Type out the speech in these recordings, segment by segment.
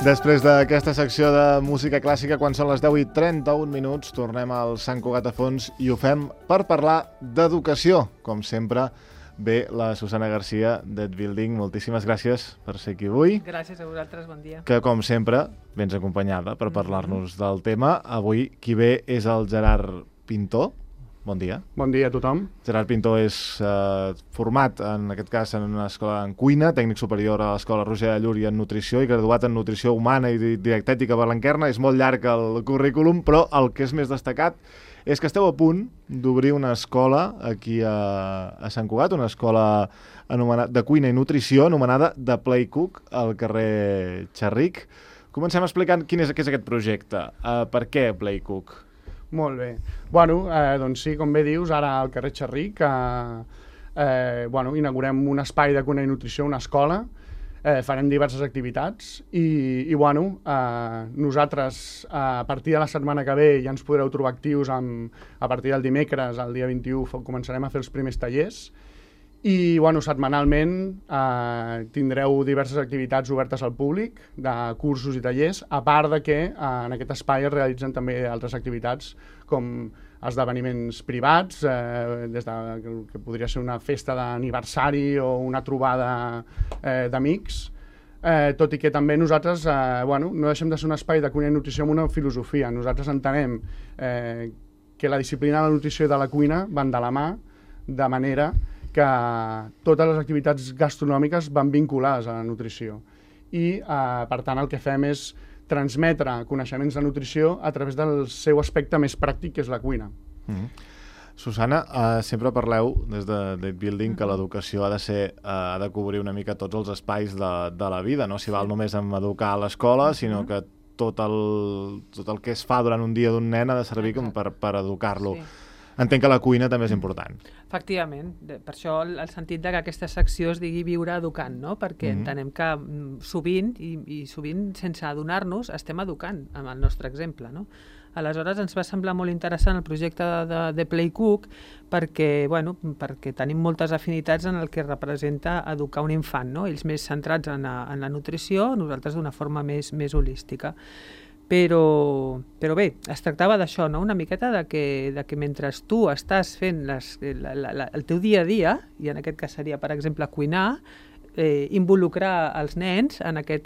Després d'aquesta secció de música clàssica, quan són les 10:31, tornem al Sant Cugat a Fons i ho fem per parlar d'educació. Com sempre, ve la Susana Garcia d'Ed Building. Moltíssimes gràcies per ser aquí avui. Gràcies a vosaltres, bon dia. Que, com sempre, vens acompanyada per parlar-nos del tema. Avui qui ve és el Gerard Pintor. Bon dia. Bon dia a tothom. Gerard Pintor és format, en aquest cas, en una escola en cuina, tècnic superior a l'Escola Roger de Llúria en nutrició i graduat en nutrició humana i dietètica per l'Enquerna. És molt llarg el currículum, però el que és més destacat és que esteu a punt d'obrir una escola aquí a Sant Cugat, una escola de cuina i nutrició anomenada The Play Cook, al carrer Xerric. Comencem explicant què és aquest projecte. Per què Play Cook? Molt bé. Bueno, doncs sí, com bé dius, ara al carrer Xerric inaugurem un espai de cuina i nutrició, una escola, farem diverses activitats i nosaltres a partir de la setmana que ve ja ens podreu trobar actius a partir del dimecres, el dia 21, començarem a fer els primers tallers i setmanalment tindreu diverses activitats obertes al públic, de cursos i tallers, a part de que en aquest espai es realitzen també altres activitats com esdeveniments privats, des de que podria ser una festa d'aniversari o una trobada d'amics, tot i que també nosaltres no deixem de ser un espai de cuina i nutrició amb una filosofia. Nosaltres entenem que la disciplina de la nutrició i de la cuina van de la mà, de manera que totes les activitats gastronòmiques van vinculades a la nutrició i per tant el que fem és transmetre coneixements de nutrició a través del seu aspecte més pràctic, que és la cuina. Susana, sempre parleu des de Building que l'educació ha de cobrir una mica tots els espais de la vida, no s'hi val només en educar a l'escola, sinó que tot el que es fa durant un dia d'un nen ha de servir com per educar-lo. Entenc que la cuina també és important. Efectivament, per això el sentit que aquesta secció es digui Viure educant, no? Perquè entenem que sovint, i sovint sense adonar-nos, estem educant amb el nostre exemple, no? Aleshores ens va semblar molt interessant el projecte de Play Cook perquè tenim moltes afinitats en el que representa educar un infant, no? Ells més centrats en la nutrició, nosaltres d'una forma més holística. Però bé, es tractava d'això, no? Una miqueta de que mentre tu estàs fent el teu dia a dia, i en aquest cas seria, per exemple, cuinar, involucrar els nens en aquest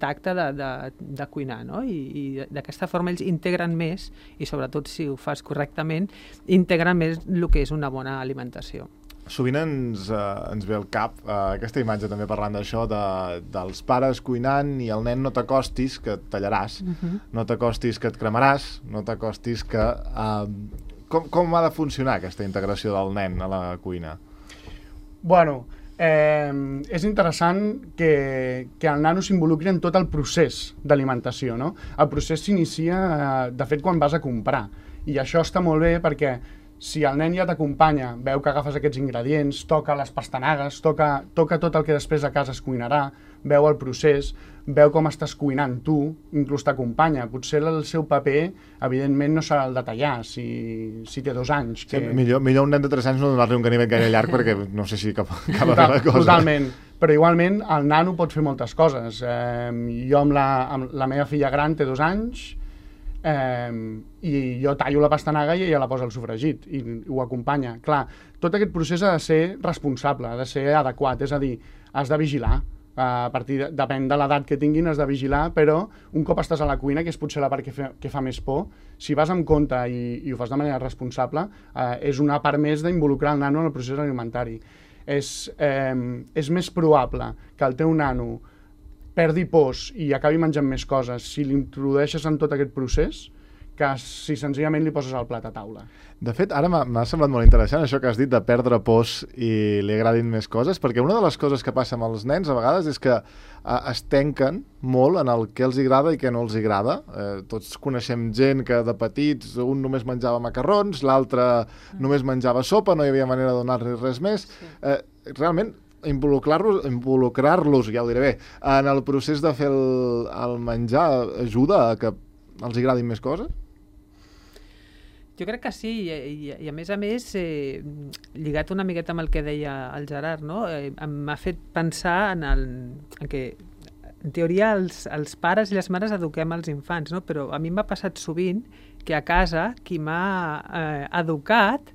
acte de cuinar, no? I d'aquesta forma ells integren més, i sobretot si ho fas correctament, integren més el que és una bona alimentació. Sovint ens ve al cap aquesta imatge també parlant d'això, dels pares cuinant i el nen no t'acostis que et tallaràs, no t'acostis que et cremaràs, no t'acostis que... Com ha de funcionar aquesta integració del nen a la cuina? Bueno, és interessant que el nano s'involucri en tot el procés d'alimentació, no? El procés s'inicia, de fet, quan vas a comprar, i això està molt bé perquè si el nen ja t'acompanya, veu que agafes aquests ingredients, toca les pastanagues, toca tot el que després a casa es cuinarà, veu el procés, veu com estàs cuinant tu, inclús t'acompanya. Potser el seu paper, evidentment, no serà el de tallar, si té 2 anys. Sí, millor un nen de 3 anys no donar-li un ganivet gaire llarg perquè no sé si acaba la cosa. Totalment. Però igualment el nano pot fer moltes coses. Jo amb la meva filla gran té 2 anys, i jo tallo la pastanaga i ella la posa al sofregit i ho acompanya. Clar, tot aquest procés ha de ser responsable, ha de ser adequat, és a dir, has de vigilar. Depèn de l'edat que tinguin, has de vigilar, però un cop estàs a la cuina, que és potser la part que fa més por, si vas amb compte i ho fas de manera responsable, és una part més d'involucrar el nano en el procés alimentari. És més probable que el teu nano perdi pors i acabi menjant més coses si l'introdueixes en tot aquest procés que si senzillament li poses el plat a taula. De fet, ara m'ha semblat molt interessant això que has dit de perdre pors i li agradin més coses, perquè una de les coses que passa amb els nens a vegades és que es tanquen molt en el que els agrada i què no els agrada. Tots coneixem gent que de petits un només menjava macarrons, l'altre només menjava sopa, no hi havia manera de donar-li res més. Realment, involucrar-los, ja ho diré bé, en el procés de fer el menjar ajuda a que els agradin més coses? Jo crec que sí, i a més, lligat una miqueta amb el que deia el Gerard, no? M'ha fet pensar en que en teoria els pares i les mares eduquem els infants, no? Però a mi m'ha passat sovint que a casa qui m'ha educat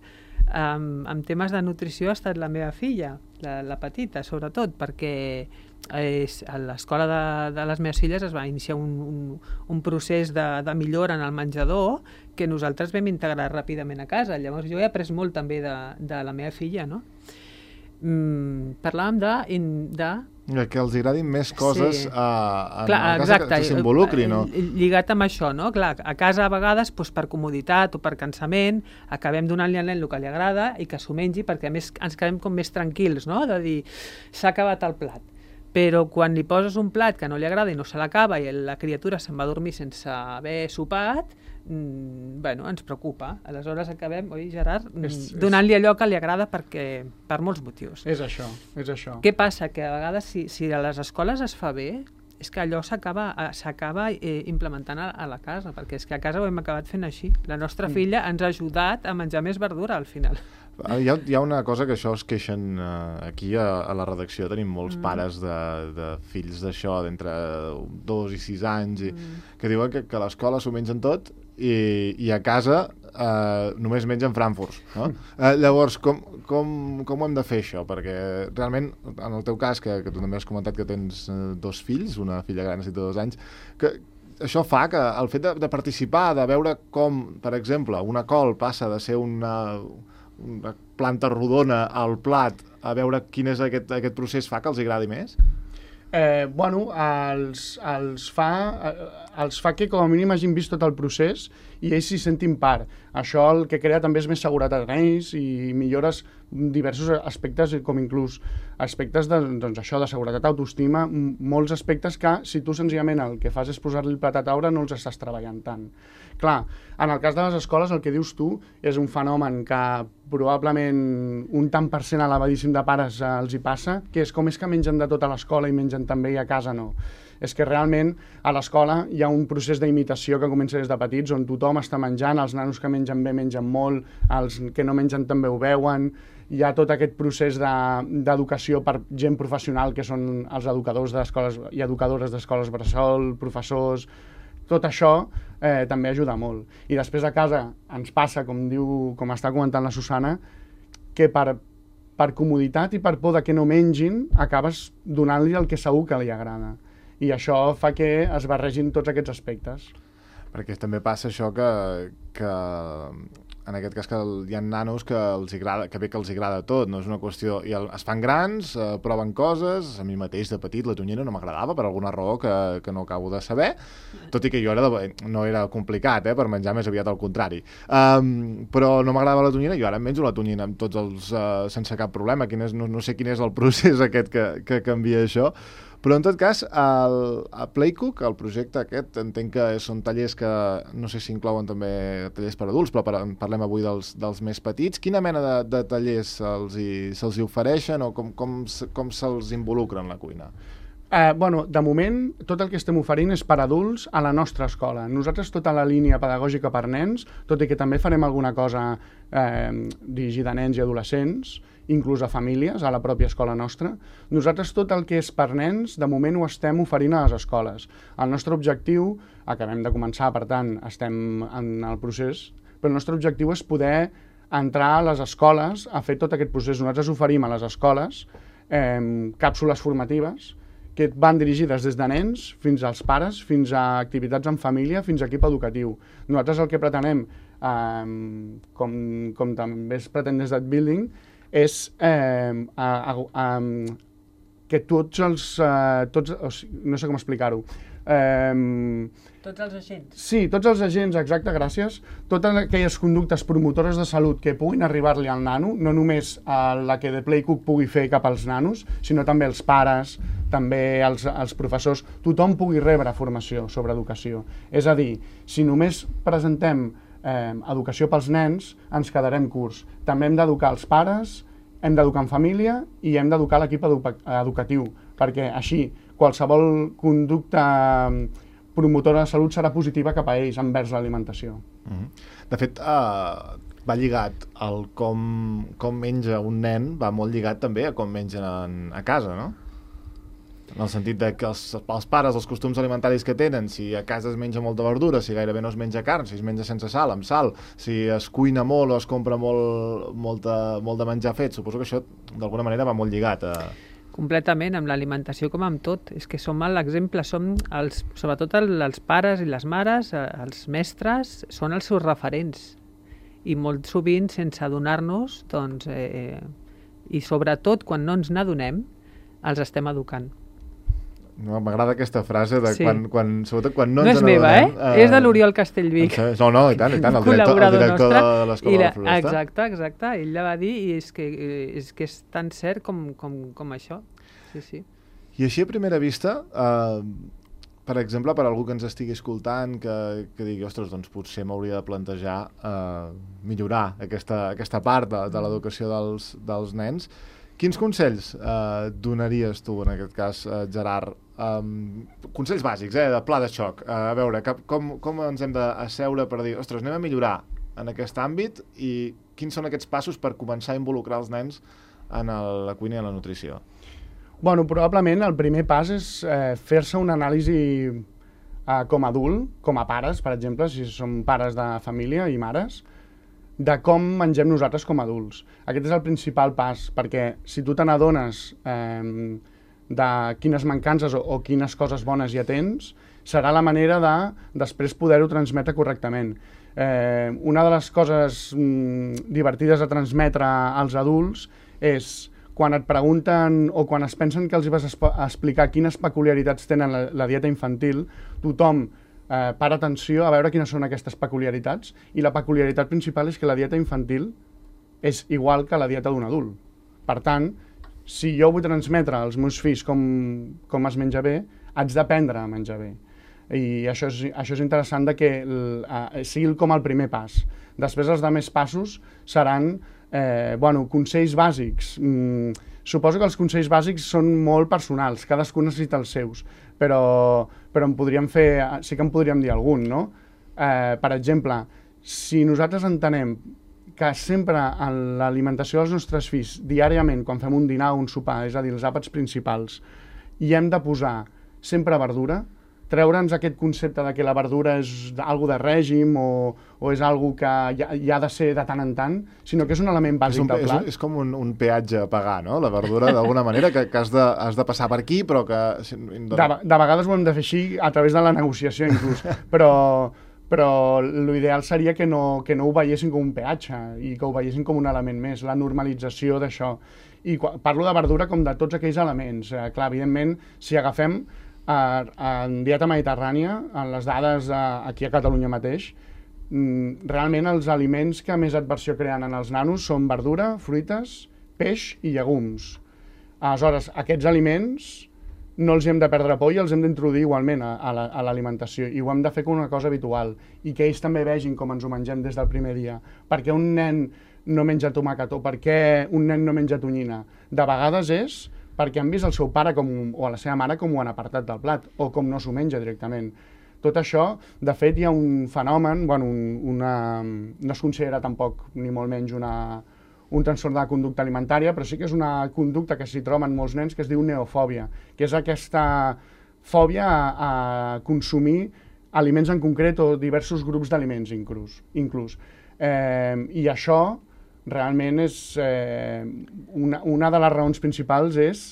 en temes de nutrició ha estat la meva filla, la petita, sobretot, perquè a l'escola de les meves filles es va iniciar un procés de millora en el menjador que nosaltres vam integrar ràpidament a casa. Llavors jo he après molt també de la meva filla, no? Parlàvem que els agradin més coses sí. En Clar, el cas exacte, que s'involucri, no? Lligat amb això, no? Clar, a casa a vegades, doncs, per comoditat o per cansament, acabem donant-li al nen el que li agrada i que s'ho mengi perquè a més ens quedem com més tranquils, no? De dir, s'ha acabat el plat. Però quan li poses un plat que no li agrada i no se l'acaba i la criatura se'n va a dormir sense haver sopat, bueno, ens preocupa. Aleshores acabem, oi, Gerard, donant-li allò que li agrada per molts motius. És això, és això. Què passa? Que a vegades, si a les escoles es fa bé, és que allò s'acaba implementant a la casa, perquè és que a casa ho hem acabat fent així. La nostra filla ens ha ajudat a menjar més verdura al final. Hi ha una cosa que això es queixen aquí a la redacció. Tenim molts pares de fills d'això d'entre 2 i 6 anys que diuen que a l'escola s'ho mengen tot i a casa només mengen frankfurts, no? Llavors, com ho hem de fer això? Perquè realment, en el teu cas, que tu també has comentat que tens 2 fills, una filla gran de 2 anys, que això fa que el fet de participar, de veure com, per exemple, una col passa de ser una planta rodona al plat a veure quin és aquest procés, fa que els agradi més? Bueno, els fa que com a mínim hagin vist tot el procés i ells s'hi sentin part. Això el que crea també és més seguretat en ells i millores diversos aspectes, com inclús aspectes doncs això, de seguretat, autoestima, molts aspectes que si tu senzillament el que fas és posar-li el plat a taula no els estàs treballant tant. Clar, en el cas de les escoles el que dius tu és un fenomen que probablement un tant per cent elevadíssim de pares els hi passa, que és com és que mengen de tot a l'escola i mengen també i a casa no. És que realment a l'escola hi ha un procés d'imitació que comença des de petits on tothom està menjant, els nanos que mengen bé mengen molt, els que no mengen també ho veuen, hi ha tot aquest procés d'educació per gent professional que són els educadors d'escoles i educadores d'escoles bressol, professors, tot això també ajuda molt. I després a casa ens passa, com està comentant la Susana, que per comoditat i per por de que no mengin acabes donant-li el que segur que li agrada. I això fa que es barregin tots aquests aspectes. Perquè també passa això que en aquest cas que hi ha nanos que els agrada tot, no és una qüestió... I es fan grans, proven coses, a mi mateix de petit la tonyina no m'agradava per alguna raó que no acabo de saber, tot i que jo no era complicat, per menjar, més aviat al contrari. Però no m'agradava la tonyina, jo ara menjo la tonyina amb tots els... sense cap problema, no sé quin és el procés aquest que canvia això. Però en tot cas, a Playcook, el projecte aquest, entenc que són tallers que no sé si inclouen també tallers per adults, però parlem avui dels més petits. Quina mena de tallers se'ls ofereixen o com se'ls involucra en la cuina? Bueno, de moment, tot el que estem oferint és per adults a la nostra escola. Nosaltres tota la línia pedagògica per nens, tot i que també farem alguna cosa dirigida a nens i adolescents, inclús a famílies, a la pròpia escola nostra. Nosaltres tot el que és per nens, de moment ho estem oferint a les escoles. El nostre objectiu, acabem de començar, per tant, estem en el procés, però el nostre objectiu és poder entrar a les escoles a fer tot aquest procés. Nosaltres oferim a les escoles càpsules formatives que van dirigides des de nens fins als pares, fins a activitats en família, fins a equip educatiu. Nosaltres el que pretenem, com també es pretén des d'Adbuilding, és que tots els... no sé com explicar-ho. Tots els agents. Sí, tots els agents, exacte, gràcies. Totes aquelles conductes promotores de salut que puguin arribar-li al nano, no només la que The Playcook pugui fer cap als nanos, sinó també els pares, també els professors, tothom pugui rebre formació sobre educació. És a dir, si només presentem educació pels nens, ens quedarem curts. També hem d'educar els pares, hem d'educar en família i hem d'educar l'equip educatiu, perquè així qualsevol conducta promotora de salut serà positiva cap a ells envers l'alimentació. De fet, va lligat al com menja un nen, va molt lligat també a com mengen a casa, no? en el sentit de que els pares, els costums alimentaris que tenen, si a casa es menja molta verdura, si gairebé no es menja carn, si es menja sense sal, amb sal, si es cuina molt o es compra molt de menjar fet, suposo que això d'alguna manera va molt lligat a... Completament, amb l'alimentació com amb tot. És que som l'exemple, sobretot els pares i les mares, els mestres, són els seus referents. I molt sovint, sense adonar-nos, doncs, i sobretot quan no ens n'adonem, els estem educant. No, m'agrada aquesta frase de Sí. sobretot quan no No ens és meva, n'adonem, és de l'Oriol Castellvic. No, i tant, el Col·laborador director nostre. de l'Escola de la Floresta. Exacte. Ell la va dir i és que és tan cert com això. Sí. I així a primera vista, per exemple, per algú que ens estigui escoltant, que digui, ostres, doncs potser m'hauria de plantejar millorar aquesta part de l'educació dels nens, quins consells donaries tu, en aquest cas, Gerard? Consells bàsics, de pla de xoc. A veure, com ens hem d'asseure per dir, ostres, anem a millorar en aquest àmbit i quins són aquests passos per començar a involucrar els nens en la cuina i en la nutrició? Bueno, probablement el primer pas és fer-se una anàlisi com a adult, com a pares, per exemple, si som pares de família i mares, de com mengem nosaltres com a adults. Aquest és el principal pas, perquè si tu te n'adones de quines mancances o quines coses bones ja tens, serà la manera de després poder-ho transmetre correctament. Una de les coses divertides a transmetre als adults és quan et pregunten o quan es pensen que els vas explicar quines peculiaritats tenen la dieta infantil, tothom para atenció a veure quines són aquestes peculiaritats, i la peculiaritat principal és que la dieta infantil és igual que la dieta d'un adult. Per tant, si jo vull transmetre als meus fills com es menja bé, haig d'aprendre a menjar bé. I això és interessant que sigui com el primer pas. Després els altres passos seran consells bàsics. Suposo que els consells bàsics són molt personals, cadascú necessita els seus, però sí que en podríem dir algun, no? Per exemple, si nosaltres entenem que sempre en l'alimentació dels nostres fills, diàriament, quan fem un dinar o un sopar, és a dir, els àpats principals, hi hem de posar sempre verdura, treure'ns aquest concepte de que la verdura és algo de règim o és algo que hi ha de ser de tant en tant, sinó que és un element bàsic del plat. És com un peatge a pagar, no? La verdura, d'alguna manera, que has de passar per aquí, però que... De vegades ho hem de fer així a través de la negociació, inclús. Però l'ideal seria que no ho veiessin com un peatge i que ho veiessin com un element més, la normalització d'això. I parlo de verdura com de tots aquells elements. Clar, evidentment, si agafem en dieta mediterrània, en les dades aquí a Catalunya mateix, realment els aliments que més adversió creen en els nanos són verdura, fruites, peix i llegums. Aleshores, aquests aliments no els hem de perdre por i els hem d'introduir igualment a l'alimentació, i ho hem de fer com una cosa habitual, i que ells també vegin com ens ho mengem des del primer dia. Per què un nen no menja tomàquet o per què un nen no menja tonyina? De vegades és perquè han vist el seu pare o la seva mare com ho han apartat del plat, o com no s'ho menja directament. Tot això, de fet, hi ha un fenomen, no es considera tampoc, ni molt menys, un trastorn de la conducta alimentària, però sí que és una conducta que s'hi troba en molts nens, que es diu neofòbia, que és aquesta fòbia a consumir aliments en concret o diversos grups d'aliments inclús. I això realment és una de les raons principals és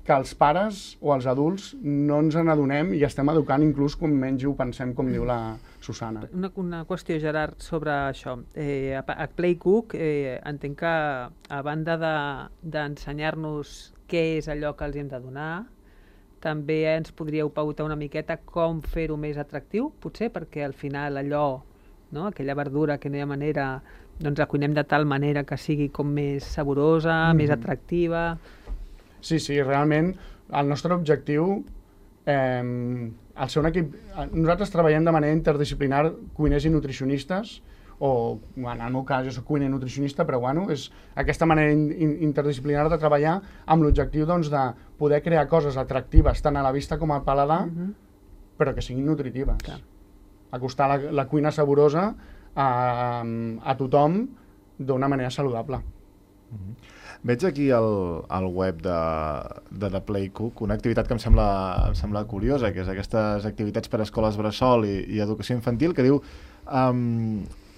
que els pares o els adults no ens n'adonem i estem educant inclús com menys ho pensem, com diu la Susana. Una qüestió, Gerard, sobre això. A Playcook entenc que a banda d'ensenyar-nos què és allò que els hem de donar, també ens podríeu pautar una miqueta com fer-ho més atractiu, potser, perquè al final allò, no? Aquella verdura que no hi ha manera, doncs la cuinem de tal manera que sigui com més saborosa, més atractiva. Sí, realment el nostre objectiu, al ser un equip, nosaltres treballem de manera interdisciplinar, cuiners i nutricionistes, o en el meu cas jo soc cuiner i nutricionista, però és aquesta manera interdisciplinar de treballar amb l'objectiu de poder crear coses atractives tant a la vista com al paladar, però que siguin nutritives. Clar. Acostar la cuina saborosa a tothom d'una manera saludable. Veig aquí al web de The Play Cook una activitat que em sembla curiosa, que és aquestes activitats per a escoles bressol i educació infantil, que diu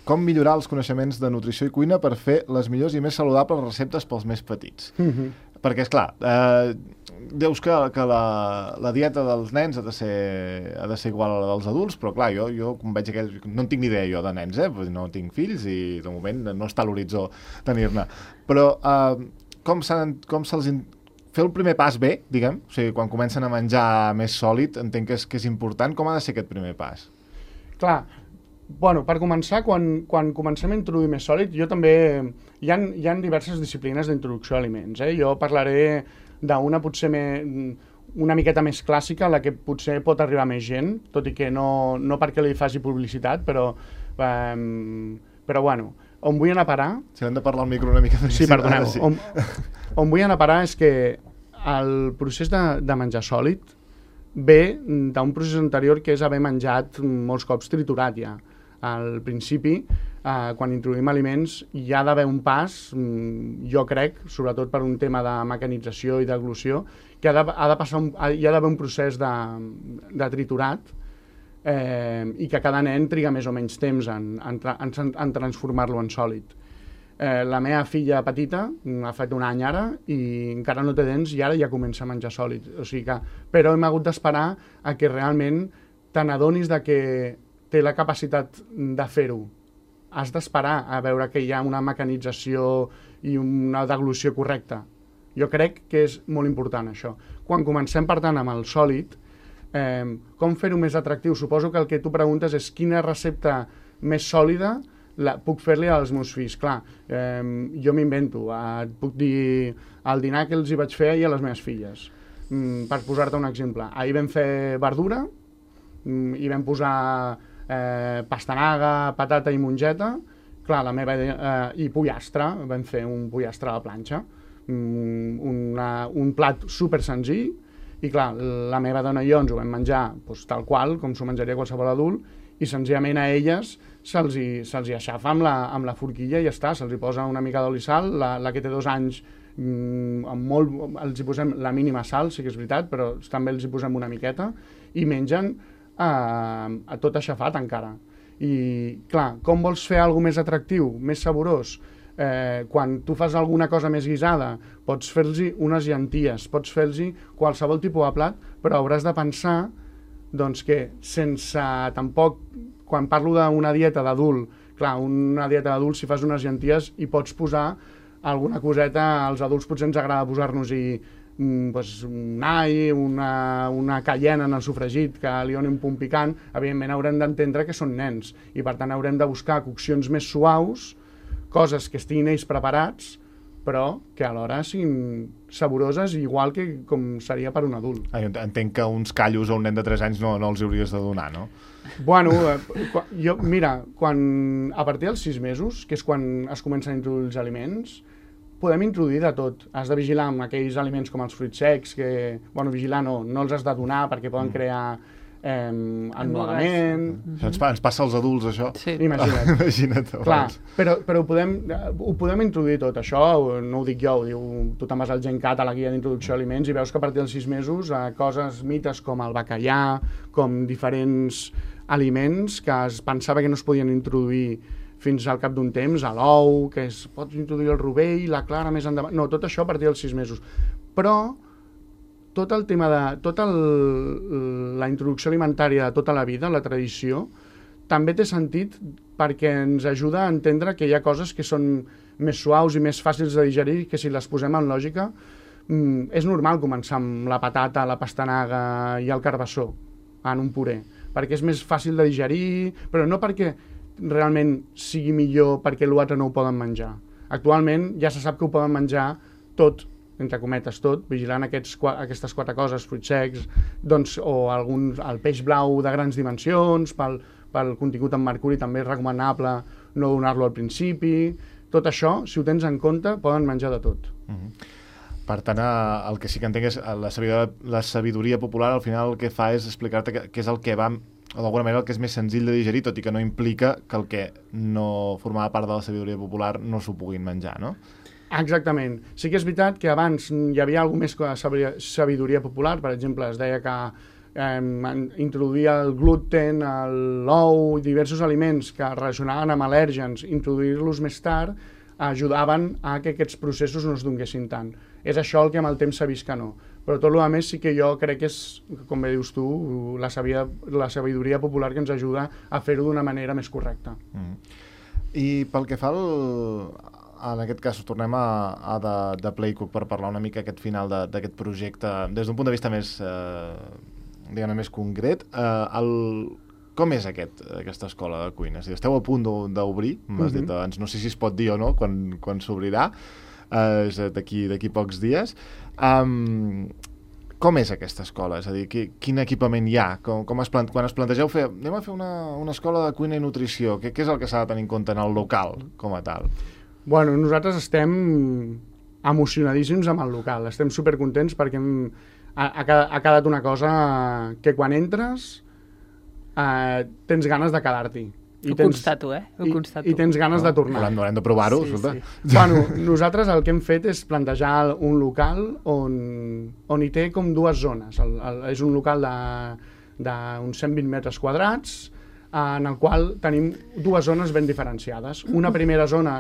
com millorar els coneixements de nutrició i cuina per fer les millors i més saludables receptes pels més petits. Perquè, esclar, deus que la dieta dels nens ha de ser igual a la dels adults, però clar, jo com veig no en tinc ni idea jo de nens, no tinc fills i de moment no està a l'horitzó tenir-ne. Però com se'ls fer el primer pas bé, diguem, o sigui, quan comencen a menjar més sòlid, entenc que és important. Com ha de ser aquest primer pas? Clar, bueno, per començar, quan comencem a introduir més sòlid, jo també... Hi ha diverses disciplines d'introducció a aliments. Jo parlaré d'una potser una miqueta més clàssica, la que potser pot arribar a més gent, tot i que no perquè li faci publicitat, però bueno, on vull anar a parar... Si hem de parlar al micro una mica més... Sí, perdoneu. Sí. On vull anar a parar és que el procés de menjar sòlid ve d'un procés anterior que és haver menjat molts cops triturat ja. Al principi, quan introduïm aliments, hi ha d'haver un pas, jo crec, sobretot per un tema de mecanització i d'eglució, que hi ha d'haver un procés de triturat i que cada nen triga més o menys temps en transformar-lo en sòlid. La meva filla petita ha fet un any ara i encara no té dents i ara ja comença a menjar sòlid. O sigui que, però hem hagut d'esperar a que realment te n'adonis de que té la capacitat de fer-ho. Has d'esperar a veure que hi ha una mecanització i una deglució correcta. Jo crec que és molt important això. Quan comencem, per tant, amb el sòlid, com fer-ho més atractiu? Suposo que el que tu preguntes és quina recepta més sòlida puc fer-li als meus fills. Clar, jo m'invento. Et puc dir el dinar que els hi vaig fer ahir a les meves filles. Per posar-te un exemple. Ahir vam fer verdura i vam posar pastanaga, patata i mongeta, clar, i pollastre, vam fer un pollastre a la planxa, un plat super senzill, i clar, la meva dona i jo ens ho vam menjar tal qual, com s'ho menjaria qualsevol adult, i senzillament a elles se'ls hi aixafa amb la forquilla i ja està, se'ls hi posa una mica d'oli i sal, la que té 2 anys els hi posem la mínima sal, sí que és veritat, però també els hi posem una miqueta, i mengen a tot aixafat encara. I clar, com vols fer alguna més atractiu, més saborós? Quan tu fas alguna cosa més guisada, pots fer-los unes llenties, pots fer-los qualsevol tipus de plat, però hauràs de pensar doncs, que sense tampoc, quan parlo d'una dieta d'adult, clar, una dieta d'adult, si fas unes llenties hi pots posar alguna coseta, als adults potser ens agrada posar-nos-hi un all, una cayena en el sofregit que li doni un punt picant. Evidentment haurem d'entendre que són nens i per tant haurem de buscar coccions més suaus, coses que estiguin ells preparats però que alhora siguin saboroses igual que com seria per un adult. Entenc que uns callos a un nen de 3 anys no els hauries de donar, no? Bueno, mira, a partir dels 6 mesos, que és quan es comencen a introduir els aliments, podem introduir de tot. Has de vigilar amb aquells aliments com els fruits secs, que, bueno, vigilar no els has de donar perquè poden crear ennugament. Ens passa als adults, això? Sí. Imagina't. Clar, però ho podem introduir tot. Això no ho dic jo, ho diu, tu te'n vas al GenCat, a la guia d'introducció a aliments, i veus que a partir dels 6 mesos coses, mites com el bacallà, com diferents aliments que es pensava que no es podien introduir fins al cap d'un temps, a l'ou, que pots introduir el rovell, la clara més endavant... No, tot això a partir dels 6 mesos. Però tot el tema la introducció alimentària de tota la vida, la tradició, també té sentit perquè ens ajuda a entendre que hi ha coses que són més suaus i més fàcils de digerir, que si les posem en lògica, és normal començar amb la patata, la pastanaga i el carbassó en un puré, perquè és més fàcil de digerir, però no perquè realment sigui millor perquè l'altre no ho poden menjar. Actualment ja se sap que ho poden menjar tot, entre cometes tot, vigilant aquestes 4 coses, fruits secs, doncs, o el peix blau de grans dimensions, pel contingut en mercuri també és recomanable no donar-lo al principi. Tot això, si ho tens en compte, poden menjar de tot. Per tant, el que sí que entenc és la sabidoria popular, al final el que fa és explicar-te què és el que va, o d'alguna manera el que és més senzill de digerir, tot i que no implica que el que no formava part de la sabidoria popular no s'ho puguin menjar, no? Exactament. Sí que és veritat que abans hi havia alguna més que sabidoria popular, per exemple, es deia que introduir el gluten, l'ou, diversos aliments que es relacionaven amb al·lèrgens, introduir-los més tard, ajudaven a que aquests processos no es donguessin tant. És això el que amb el temps s'ha vist que no. Però tot el més sí que jo crec que és, com bé dius tu, la sabidoria popular que ens ajuda a fer-ho d'una manera més correcta. I pel que fa en aquest cas tornem a de Playcook per parlar una mica aquest final d'aquest projecte des d'un punt de vista més diguem-ne més concret, com és aquesta escola de cuina? Si esteu a punt d'obrir, m'has dit abans, no sé si es pot dir o no quan s'obrirà, és d'aquí pocs dies. Com és aquesta escola? És a dir, quin equipament hi ha? Quan es plantegeu anem a fer una escola de cuina i nutrició, què és el que s'ha de tenir en compte en el local com a tal? Bueno, nosaltres estem emocionadíssims amb el local, estem supercontents perquè ha quedat una cosa que quan entres tens ganes de quedar-hi. Constato, Ho constato. I tens ganes de tornar. Haurem de provar-ho, sí. Bueno, nosaltres el que hem fet és plantejar un local on hi té com dues zones. És un local d'uns 120 metres quadrats, en el qual tenim dues zones ben diferenciades. Una primera zona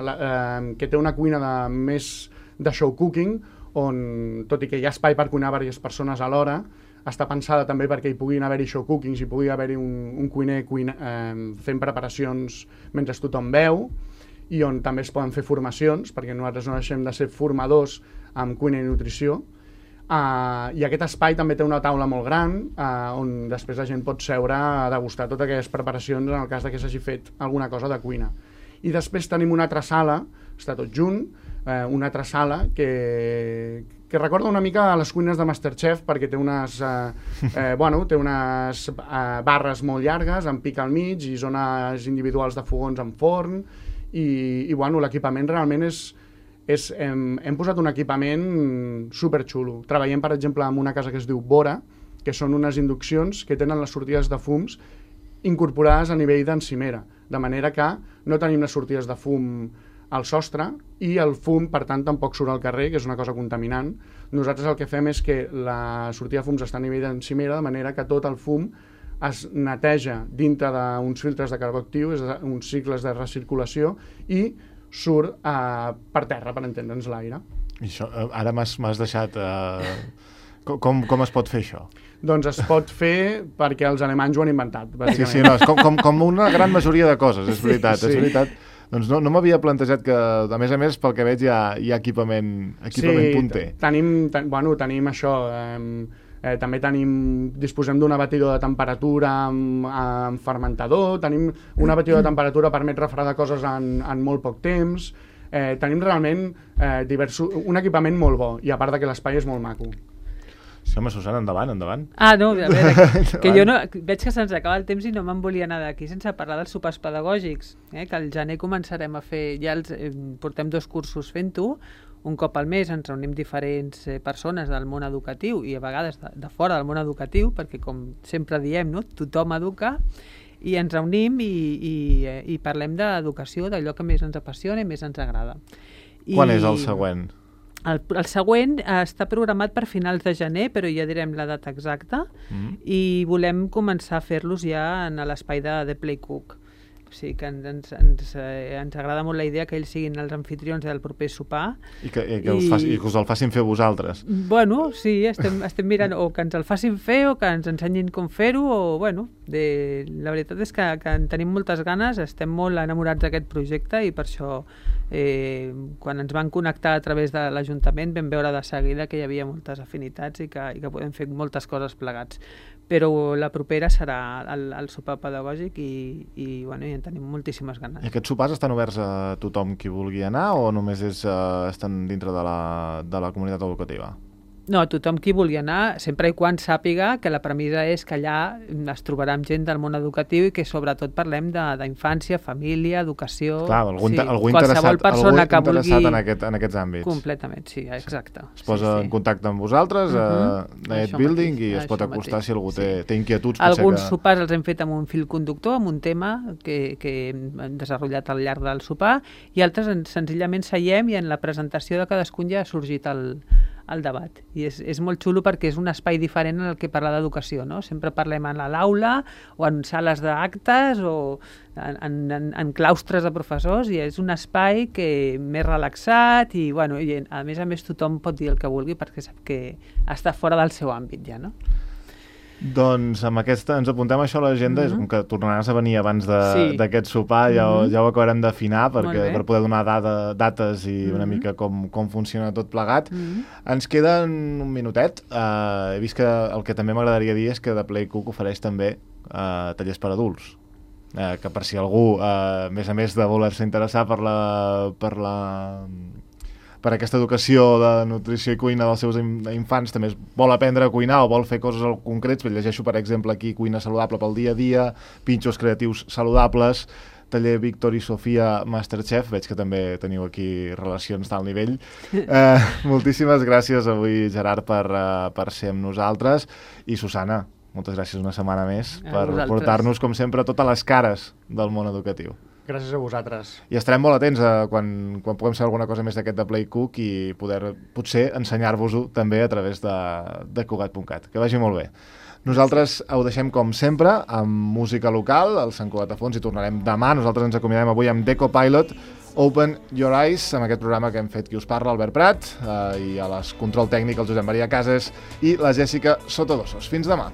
que té una cuina més de show cooking, on, tot i que hi ha espai per cuinar diverses persones alhora, està pensada també perquè hi puguin haver-hi show cookings, hi pugui haver-hi un cuiner fent preparacions mentre tothom veu, i on també es poden fer formacions, perquè nosaltres no deixem de ser formadors amb cuina i nutrició. I aquest espai també té una taula molt gran on després la gent pot seure a degustar totes aquelles preparacions en el cas que s'hagi fet alguna cosa de cuina. I després tenim una altra sala, està tot junt, una altra sala que recorda una mica a les cuines de Masterchef perquè té unes barres molt llargues amb pic al mig i zones individuals de fogons amb forn i l'equipament realment hem posat un equipament superxulo. Treballem, per exemple, amb una casa que es diu Bora, que són unes induccions que tenen les sortides de fums incorporades a nivell d'encimera, de manera que no tenim les sortides de fum al sostre i el fum, per tant, tampoc surt al carrer, que és una cosa contaminant. Nosaltres el que fem és que la sortida de fums està a nivell d'encimera, de manera que tot el fum es neteja dintre d'uns filtres de carbó actiu, uns cicles de recirculació, i surt per terra, per entendre'ns, l'aire. Això, ara m'has deixat... Com es pot fer això? Doncs es pot fer perquè els alemanys ho han inventat, bàsicament. Sí, no, és com una gran majoria de coses, és veritat, és veritat. Doncs no m'havia plantejat que, a més, pel que veig, hi ha equipament punter. Tenim això. També disposem d'una batidora de temperatura amb fermentador, tenim una batidora de temperatura que permet refredar coses en molt poc temps. Tenim realment un equipament molt bo, i a part que l'espai és molt maco. Sí, home, Susana, endavant. Ah, no, a veure, que jo veig que se'ns acaba el temps i no me'n volia anar d'aquí sense parlar dels sopars pedagògics, que al gener començarem a fer, portem 2 cursos fent-ho, un cop al mes ens reunim diferents persones del món educatiu i a vegades de fora del món educatiu, perquè com sempre diem, no? Tothom educa, i ens reunim i parlem d'educació, d'allò que més ens apassiona i més ens agrada. Quan és el següent? El següent està programat per finals de gener, però ja direm la data exacta, i volem començar a fer-los ja en l'espai de Playcook. O sigui que ens agrada molt la idea que ells siguin els anfitrions del proper sopar. I que us el facin fer vosaltres. Bueno, sí, estem mirant o que ens el facin fer o que ens ensenyin com fer-ho, o bueno, la veritat és que en tenim moltes ganes, estem molt enamorats d'aquest projecte i per això quan ens van connectar a través de l'Ajuntament vam veure de seguida que hi havia moltes afinitats i que podem fer moltes coses plegats. Però la propera serà el sopar pedagògic i en tenim moltíssimes ganes. I aquests sopars estan oberts a tothom qui vulgui anar o només estan dintre de la comunitat educativa? No, tothom qui vulgui anar, sempre i quan sàpiga que la premissa és que allà es trobarà amb gent del món educatiu i que sobretot parlem d'infància, família, educació... Clar, algú interessat en aquests àmbits. Completament, sí, exacte. Es posa en contacte amb vosaltres a Net Building i es pot acostar si algú té inquietuds. Alguns sopars els hem fet amb un fil conductor, amb un tema que hem desenvolupat al llarg del sopar, i altres senzillament seiem i en la presentació de cadascun ja ha sorgit el debat. I és molt xulo perquè és un espai diferent en el que parlar d'educació, no? Sempre parlem a l'aula o en sales d'actes o en claustres de professors, i és un espai que més relaxat i, bueno, i a més tothom pot dir el que vulgui perquè sap que està fora del seu àmbit ja, no? Doncs amb aquesta ens apuntem això a l'agenda, és com que tornaràs a venir abans d'aquest sopar, ja ho acabarem d'afinar per poder donar dates i una mica com funciona tot plegat. Ens queda un minutet. He vist que el que també m'agradaria dir és que The Play Cook ofereix també tallers per adults, que per si algú, a més de voler-se interessar per aquesta educació de nutrició i cuina dels seus infants, també vol aprendre a cuinar o vol fer coses concrets. Llegeixo, per exemple, aquí cuina saludable pel dia a dia, pinxos creatius saludables, taller Víctor i Sofia Masterchef. Veig que també teniu aquí relacions d'alt nivell. Moltíssimes gràcies avui, Gerard, per ser amb nosaltres. I Susana, moltes gràcies una setmana més per portar-nos, com sempre, totes les cares del món educatiu. Gràcies a vosaltres. I estarem molt atents quan puguem saber alguna cosa més d'aquest de Play Cook i poder potser ensenyar-vos-ho també a través de Cugat.cat. Que vagi molt bé. Nosaltres ho deixem com sempre amb música local, el Sant Cugat a fons, i tornarem demà. Nosaltres ens acomiadem avui amb Deco Pilot, Open Your Eyes, amb aquest programa que hem fet qui us parla, Albert Prat, i a les control tècnic el Josep Maria Cases i la Jèssica Sotodosos. Fins demà.